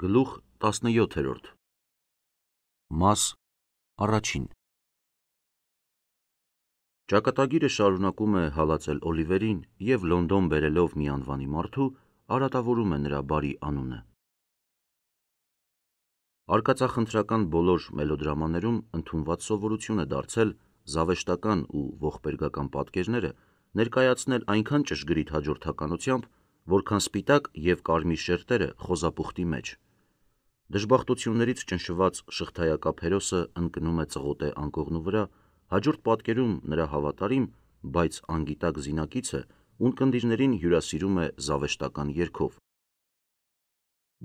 Գլուխ 17 Մաս առաջին Ճակատագիրը շարունակում է հալածել Օլիվերին և Լոնդոն բերելով մի անվանի մարդու արատավորում է նրա բարի անունը։ Արկածախնդրական բոլոր մելոդրամաներում ընդունված սովորություն է դարձել զավեշտական ու ողբերգական պատկերները ներկայացնել այնքան ճշգրիտ հաջորդականությամբ, որքան սպիտակ և կարմիր շերտերը խոզապուխտի մեջ։ Դժբախտություններից ճնշված շղթայակապ հերոսը ընկնում է ծղոտե անկողնու վրա, հաջորդ պատկերում նրա հավատարիմ, բայց անգիտակ զինակիցը ունկնդիրներին հյուրասիրում է զավեշտական երգով։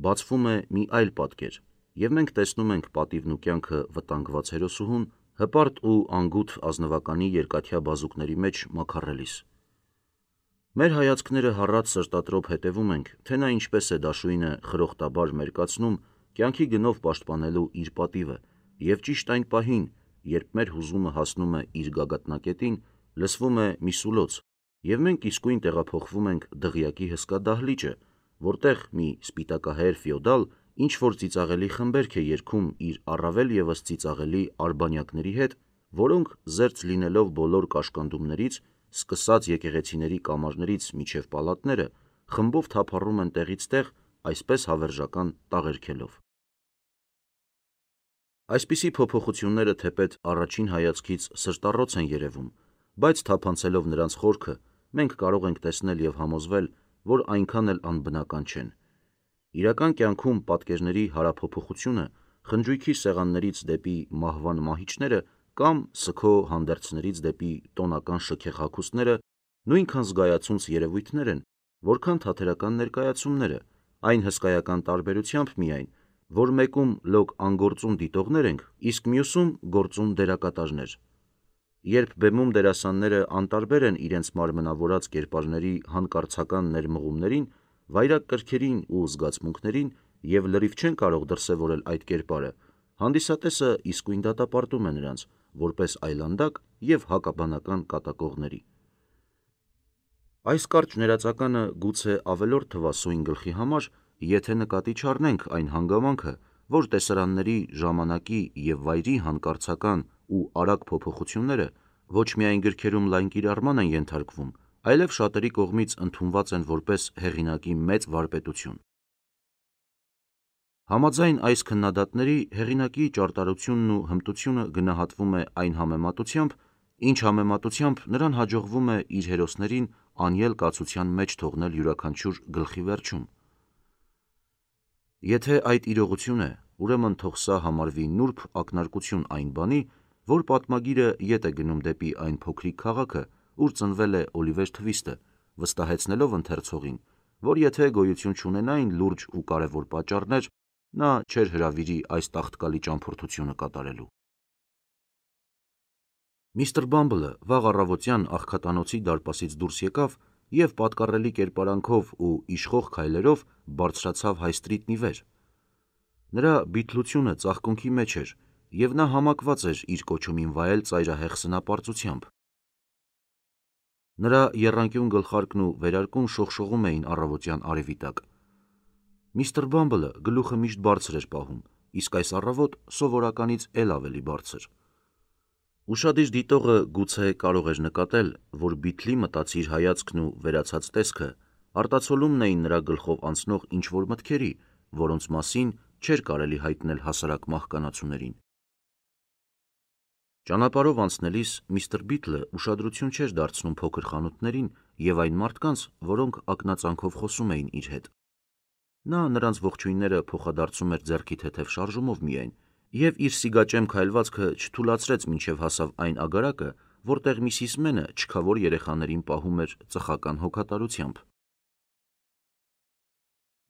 Բացվում է մի այլ պատկեր, և մենք տեսնում ենք պատիվն ու կյանքը վտանգված հերոսուհուն հպարտ ու անգութ ազնվականի երկաթյա բազուկների մեջ մաքարելիս։ Մեր հայացքները հառած սրտատրոփ հետևում ենք, թե նա ինչպես է դաշույնը խրոխտաբար մերկացնում կյանքի գնով պաշտպանելու իր պատիվը, և ճիշտ այն պահին, երբ մեր հուզումը հասնում է իր գագաթնակետին, լսվում է մի սուլոց, և մենք իսկույն տեղափոխվում ենք դղյակի հսկա դահլիճը, որտեղ մի սպիտակահայեր ֆեոդալ ինչ-որ ծիծաղելի խմբերք է երգում իր առավել ևս ծիծաղելի արբանյակների հետ, որոնք, զերծ լինելով բոլոր կաշկանդումներից, սկսած եկեղեցիների կամարներից մինչև պալատները, խմբով թափառում են տեղից տեղ, այսպես հավերժական տաղերքելով։ Այսպիսի փոփոխությունները թեպետ առաջին հայացքից սրտառոց են երևում, բայց թափանցելով նրանց խորքը, մենք կարող ենք տեսնել և համոզվել, որ այնքան էլ անբնական չեն։ Իրական կյանքում պատկերների հարափոփոխությունը խնջույքի սեղաններից դեպի մահվան մահիճները կամ սգո հանդերձներից դեպի տոնական շքեղ հագուստները նույնքան զգայացունց երևույթներ են, որքան թատերական ներկայացումները, այն հսկայական տարբերությամբ միայն, որ մեկում լոկ անգործուն դիտողներ ենք, իսկ մյուսում գործուն դերակատարներ։ Երբ բեմում դերասանները անտարբեր են իրենց մարմնավորած կերպարների հանկարծական ներմղումներին, վայրագ կրքերին ու զգացմունքներին և լրիվ չեն կարող դրսևորել այդ կերպարը, հանդիսատեսը իսկույն դատապարտում է նրանց, որպես այլանդակ և հակաբանական կատակողների։ Այս կարճ ներածականը գուցե ավելորդ թվա սույն գլխի համար, եթե նկատի չառնենք այն հանգամանքը, որ տեսարանների, ժամանակի և վայրի հանկարծական ու արագ փոփոխությունները ոչ միայն գրքերում լայն կիրառման են ենթարկվում, այլև շատերի կողմից ընդունված են որպես հեղինակի մեծ վարպետություն։ Համաձայն այս քննադատների, հեղինակի ճարտարությունն ու հմտությունը գնահատվում է այն համեմատությամբ, ինչ համեմատությամբ նրան հաջողվում է իր հերոսներին անյել կացության մեջ թողնել յուրաքանչյուր գլխի վերջում։ Եթե այդ իրողություն է, ուրեմն թող սա համարվի նուրբ ակնարկություն այն բանի, որ պատմագիրը ետ է գնում դեպի այն փոքրիկ քաղաքը, ուր ծնվել է Օլիվեր Թվիստը, վստահեցնելով ընթերցողին, որ եթե գոյություն չունենային լուրջ ու կարևոր պատճառներ, նա չէր հրավիրի այս տաղտկալի ճամփորդությունը կատարելու։ Միսթր Բամբլը վաղ առավոտյան աղքատանոցի դարպասից դուրս եկավ և պատկառելի կերպարանքով ու իշխող քայլերով բարձրացավ հայստրիտնի վեր։ Նրա բիթլությունը ծաղկունքի մեջ էր, և նա համակված էր իր կոչումին վայել ծայրահեղ սնապարծությամբ։ Նրա եռանկյուն գլխարկն ու վերարկուն շողշողում էին առավոտյան արևի տակ։ Միսթր Բամբլը գլուխը միշտ բարձր էր պահում, իսկ այս առավոտ սովորականից էլ ավելի բարձր։ Ուշադիր դիտողը գուցե կարող էր նկատել, որ բիթլի մտածիր հայացքն ու վերացած տեսքը արտացոլումն էին նրա գլխով անցնող ինչ-որ մտքերի, որոնց մասին չէր կարելի հայտնել հասարակ մահկանացուներին։ Ճանապարհով անցնելիս միստր Բիթլը ուշադրություն չէր դարձնում փոքր խանութներին և այն մարդկանց, որոնք ակնածանքով խոսում էին իր հետ։ Նա նրանց ողջույնները փոխադարձում էր ձեռքի թեթև շարժումով միայն, և իր սիգաճեմ քայլվածքը չթուլացրեց մինչև հասավ այն ագարակը, որտեղ Միսիս Մենը չքավոր երեխաներին պահում էր ծխական հոգատարությամբ։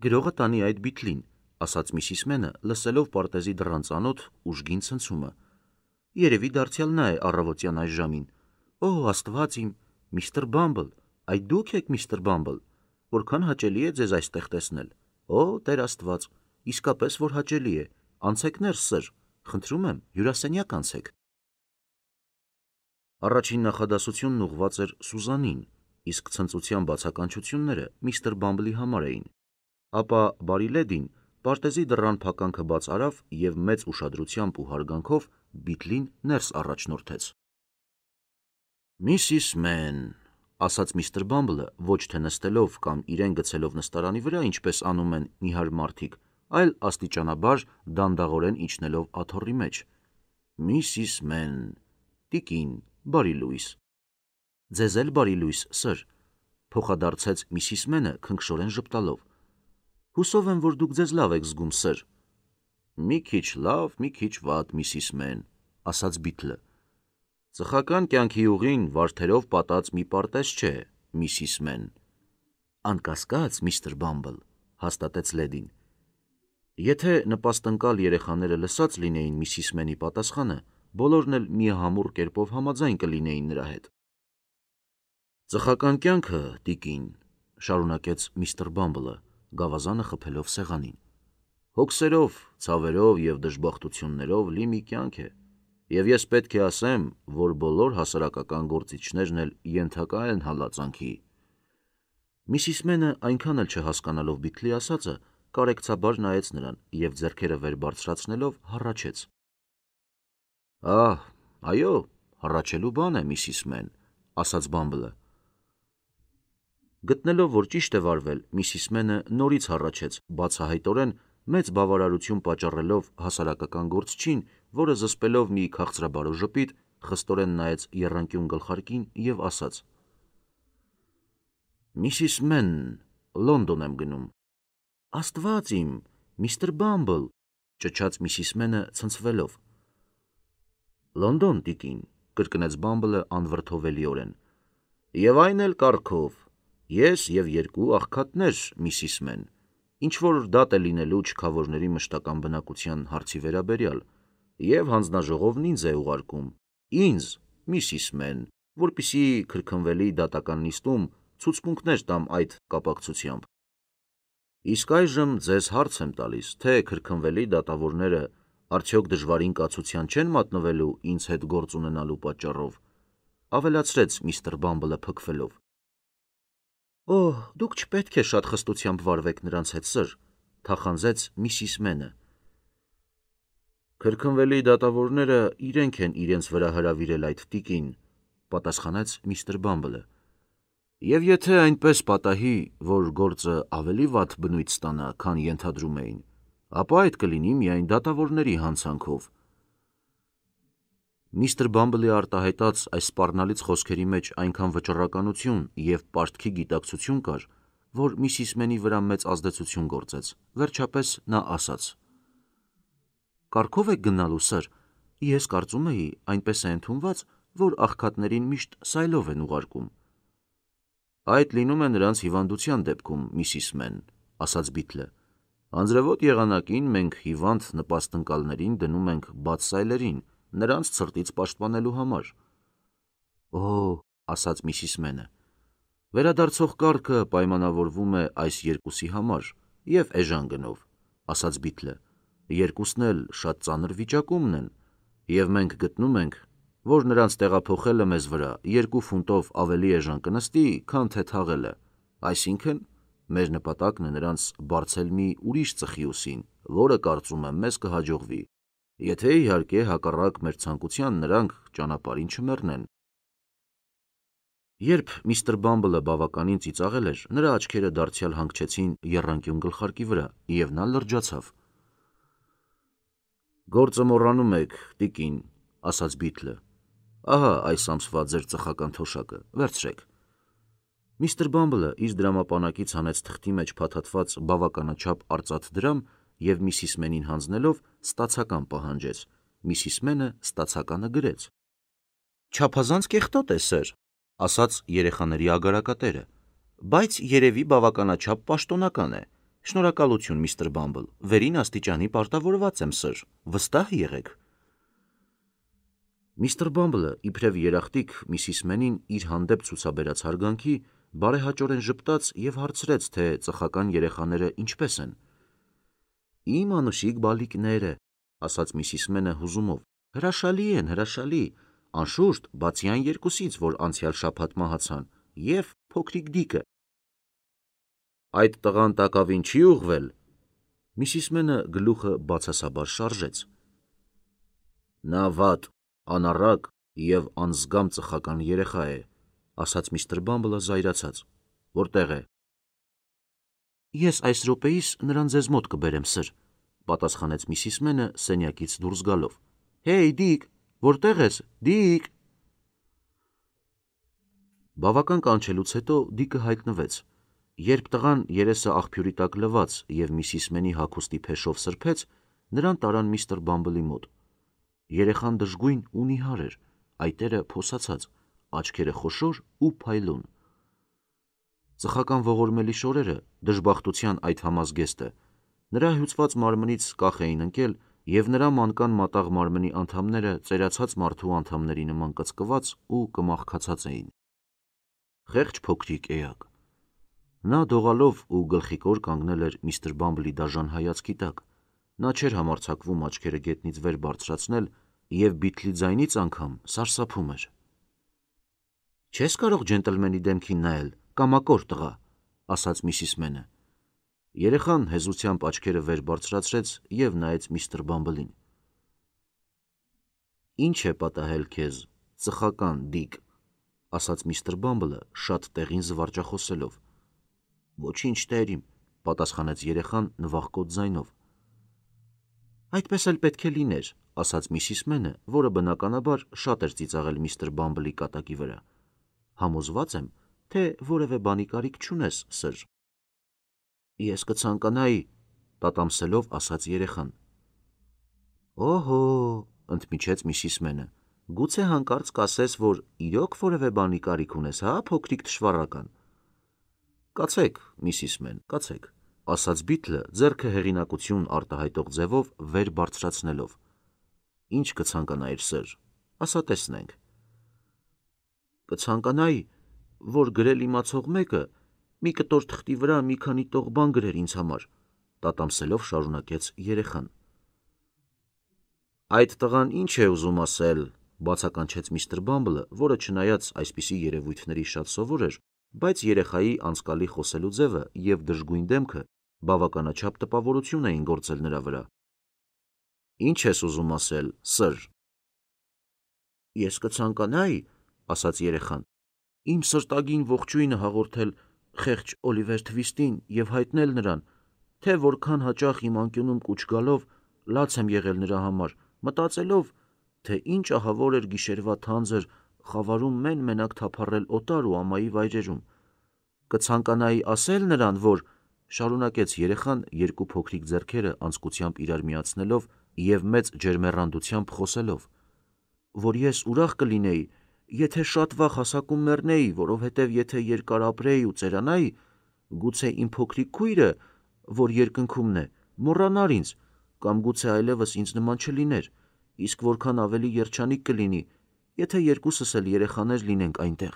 «Գրողը տանի այդ Բիթլին», ասաց Միսիս Մենը, լսելով պարտեզի դռան ծանոթ, ուժգին ցնցումը։ «Երևի դարձյալ նա է առավոտյան այս ժամին։ Օ, Աստված իմ, միստր Բամբլ, այդ դու՞ք եք, միստր Բամբլ, որքան հաճելի է ձեզ այստեղ տեսնել։ Օ, Տեր Աստված, իսկապես որ հաճելի է, անցեք ներս, սըր, խնդրում եմ, հյուրասենյակ անցեք»։ Առաջին նախադասությունն ուղղված էր Սուզանին, իսկ ցնծության բացականչությունները միստր Բամբլի համար էին։ Ապա բարի լեդին պարտեզի դռան փականքը բաց արավ և մեծ ուշադրությամբ ու հարգանքով Բիթլին ներս առաջնորդեց։ «Միսիս Մեն», ասաց միստր Բամբլը, ոչ թե նստելով կամ իրեն գցելով նստարանի վրա, ինչպես անում են նիհար մարդիկ, այլ աստիճանաբար դանդաղորեն իջնելով աթոռի մեջ։ «Միսիս Մեն, տիկին, բարի լույս»։ «Ձեզ էլ բարի լույս, սըր», փոխադարձեց Միսիս Մենը քնքշորեն ժպտալով։ «Հուսով եմ, որ դուք ձեզ լավ եք զգում, սըր»։ «Մի քիչ լավ, մի քիչ վատ, Միսիս Մեն», ասաց Բիթլը։ «Ծխական կյանքի ուղին վարդերով պատած մի պարտեզ չէ, Միսիս Մեն»։ «Անկասկած, միստր Բամբլ», հաստատեց լեդին։ Եթե նպաստընկալ երեխաները լսած լինեին Միսիս Մենի պատասխանը, բոլորն էլ միահամուռ կերպով համաձայն կլինեին նրա հետ։ «Ծխական կյանքը, տիկին», շարունակեց միստր Բամբլը, գավազանը խփելով սեղանին, «հոգսերով, ցավերով և դժբախտություններով լի մի կյանք է, և ես պետք է ասեմ, որ բոլոր հասարակական գործիչներն էլ ենթակա են հալածանքի»։ Միսիս Մենը այնքան էլ չհասկանալով Բիթլի ասածը, կարեկցաբար նայեց նրան և ձեռքերը վեր բարձրացնելով հառաչեց։ Այո, հառաչելու բան է, Միսիս Մեն, ասաց Բամբլը։ Գտնելով, որ ճիշտ է վարվել, Միսիս Մենը նորից հառաչեց, բացահայտորեն մեծ բավարարություն պատճառելով հասարակական գործչին, որը զսպելով մի քաղցրաբարո ժպիտ, խստորեն նայեց եռանկյուն գլխարկին և ասաց. «Միսիս Մեն, Լոնդոն եմ գնում»։ «Աստված իմ, միստր Բամբլ», ճչաց Միսիս Մենը ցնցվելով։ «Լոնդոն, տիկին», կրկնեց Բամբլը անվրդովելիորեն։ «Եվ այն էլ կարգով, ես և երկու աղքատներ, Միսիս Մեն, ինչ-որ դատ է լինելու չքավորների մշտական բնակության հարցի վերաբերյալ, և հանձնաժողովն ինձ է ուղարկում, ինձ, Միսիս Մեն, որպեսզի քրքնվելի դատական նիստում ցուցմունքներ տամ այդ կապակցությամբ։ Իսկ այժմ ձեզ հարց եմ տալիս, թե քրքնվելի դատավորները արդյոք դժվարին կացության չեն մատնվելու ինձ հետ գործ ունենալու պատճառով», ավելացրեց միստր Բամբլը փքվելով։ «Օհ, դուք չպետք է շատ խստությամբ վարվեք նրանց հետ, սըր», թախանձեց Միսիս Մենը։ «Քրքնվելի դատավորները իրենք են իրենց վրա հրավիրել այդ տիկին», պատասխանեց միստր Բամբլը։ «Եվ եթե այնպես պատահի, որ գործը ավելի վատ բնույթ ստանա, քան ենթադրում էին, ապա այդ կլինի միայն դատավորների հանցանքով»։ Միստր Բամբլի արտահայտած այս սպառնալից խոսքերի մեջ այնքան վճռականություն և պարտքի գիտակցություն կար, որ Միսիս Մենի վրա մեծ ազդեցություն գործեց, վերջապես նա ասաց. «Կարգով եք գնալու, սըր, ես կարծում էի, այնպես է ընդունված, որ աղքատներին միշտ սայլով են ուղարկում»։ «Այդ լինում է նրանց հիվանդության դեպքում, Միսիս Մեն», ասաց Բիթլը։ «Անձրևոտ եղանակին մենք հիվանդ նպաստընկալներին դնում ենք բաց սայլերին, նրանց ցրտից պաշտպանելու համար»։ «Օհ», ասաց Միսիս Մենը, «վերադարձող կարգը պայմանավորվում է այս երկուսի համար և էժան գնով», ասաց Բիթլը։ «Երկուսն էլ շատ ծանր վիճակումն են, և մենք գտնում ենք, որ նրանց տեղափոխելը մեզ վրա 2 ֆունտով ավելի էժան կնստի, քան թե թաղելը, այսինքն՝ մեր նպատակն է նրանց բարձել մի ուրիշ ծխի ուսին, որը, կարծում եմ, մեզ կհաջողվի, եթե իհարկե հակառակ մեր ցանկության նրանք ճանապարհին չմեռնեն»։ Երբ միստր Բամբլը բավականին ծիծաղել էր, նրա աչքերը դարձյալ հանգչեցին եռանկյուն գլխարկի վրա, և նա լրջացավ։ «Գործը մոռանում եք, տիկին», ասաց Բիթլը։ «Ահա այս ամսվա ձեր ծխական թոշակը, վերցրեք»։ Միստր Բամբլը իր դրամապանակից հանեց թղթի մեջ փաթաթված բավականաչափ արծաթ դրամ և Միսիս Մենին հանձնելով ստացական պահանջեց։ Միսիս Մենը ստացականը գրեց։ «Չափազանց կեղտոտ է, սըր», ասաց երեխաների ագարակատերը, «բայց երևի բավականաչափ պաշտոնական է։ Շնորհակալություն, միստր Բամբլ, վերին աստիճանի պարտավորված եմ, սըր, վստահ եղեք»։ Միստր Բամբլը, իբրև երախտիկ, Միսիս Մենին իր հանդեպ ցուցաբերած հարգանքի բարեհաճորեն ժպտաց և հարցրեց, թե ծխական երեխաները ինչպես են։ «Իմ անուշիկ բալիկները», ասաց Միսիս Մենը հուզումով, «հրաշալի են, հրաշալի, անշուշտ, բացի այն երկուսից, որ անցյալ շաբաթ մահացան, և փոքրիկ Դիկը»։ «Այդ տղան տակավին չի ուղղվել»։ Միսիս Մենը գլուխը բացասաբար շարժեց. «Նա վատ, անառակ և անզգամ ծխական երեխա է», ասաց միստր Բամբլը զայրացած։ «Որտեղ է»։ «Ես այս րոպեիս նրան ձեզ մոտ կբերեմ, սըր», պատասխանեց միսիս Մենը սենյակից դուրս գալով։ «Հեյ, Դիկ, որտեղ ես, Դիկ»։ Բավական կանչելուց հետո Դիկը հայտնվեց։ Երբ տղան երեսը աղբյուրի տակ լված և միսիս Մենի հագուստի փեշով սրբեց, նրան տարան միստր Բամբլի մոտ։ Երեխան դժգույն ու նիհար էր, այտերը փոսացած, աչքերը խոշոր ու փայլուն։ Ծխական ողորմելի շորերը, դժբախտության այդ համազգեստը, նրա հյուծված մարմնից կախ էին ընկել, և նրա մանկան մատաղ մարմնի անդամները ծերացած մարդու անդամների նման կծկված ու կմախքացած էին։ Խեղճ փոքրիկ էակ։ Նա դողալով ու գլխիկոր կանգնել էր միստր Բամբլի դաժան հայացքի տակ։ Նա չէր համարձակվում աչքերը գետնից վեր բարձրացնել և բիթլի ձայնից անգամ սարսափում էր։ «Չես կարող ջենտլմենի դեմքին նայել, կամակոր տղա», ասաց միսիս Մենը։ Երեխան հեզությամբ աչքերը վեր բարձրացրեց և նայեց միստր Բամբլին։ «Ինչ է պատահել քեզ, ծխական Դիկ», ասաց միստր Բամբլը շատ տեղին զվարճախոսելով։ «Ոչինչ, տերիմ», պատասխանեց երեխան նվախկոտ ձայնով։ «Այդպես էլ պետք է լիներ», ասաց միսիս Մենը, որը բնականաբար շատ էր ծիծաղել միստր Բամբլի կատակի վրա։ «Համոզված եմ, թե որևէ բանի կարիք չունես, սըր»։ «Ես կցանկանայի», տատամսելով ասաց երեխան։ «Օհո», ընդմիջեց միսիս Մենը, «գուցե հանկարծ կասես, որ իրոք որևէ բանի կարիք ունես, հա, փոքրիկ թշվառական»։ «Կացեք, միսիս Մեն, կացեք», ասաց Բիթլը ձեռքը հեղինակություն արտահայտող ձևով վեր բարձրացնելով։ «Ինչ կցանկանայիր, սըր, ասա տեսնենք»։ «Կցանկանայի, որ գրել իմացող մեկը մի կտոր թղթի վրա մի քանի տող բան գրեր ինձ համար», տատամսելով շարունակեց երեխան։ «Այդ տղան ինչ է ուզում ասել», բացականչեց միստր Բամբլը, որը չնայած այսպիսի երևույթների շատ սովոր էր, բայց երեխայի անցկալի խոսելու ձևը և դժգույն դեմքը բավականաչափ տպավորություն էին գործել նրա վրա։ «Ինչ ես ուզում ասել, սըր»։ «Ես կցանկանայի», ասաց երեխան, «իմ սրտագին ողջույնը հաղորդել խեղճ Օլիվեր Թվիստին և հայտնել նրան, թե որքան հաճախ իմ անկյունում կուչ գալով լաց եմ եղել նրա համար, մտածելով, թե ինչ ահավոր էր գիշերվա թանձր խավարում մեն-մենակ թափառել օտար ու ամայի վայրերում։ Կցանկանայի ասել նրան, որ», շարունակեց երեխան երկու փոքրիկ ձեռքերը անձկությամբ իրար միացնելով և մեծ ջերմեռանդությամբ խոսելով, «որ ես ուրախ կլինեի, եթե շատ վաղ հասակում մեռնեի, որովհետև եթե երկար ապրեի ու ծերանայի, գուցե իմ փոքրիկ քույրը, որ երկնքումն է, մոռանար ինձ, կամ գուցե այլևս ինձ նման չլիներ, իսկ որքան ավելի երջանիկ կլինի, եթե երկուսս էլ երեխաներ լինենք այնտեղ»։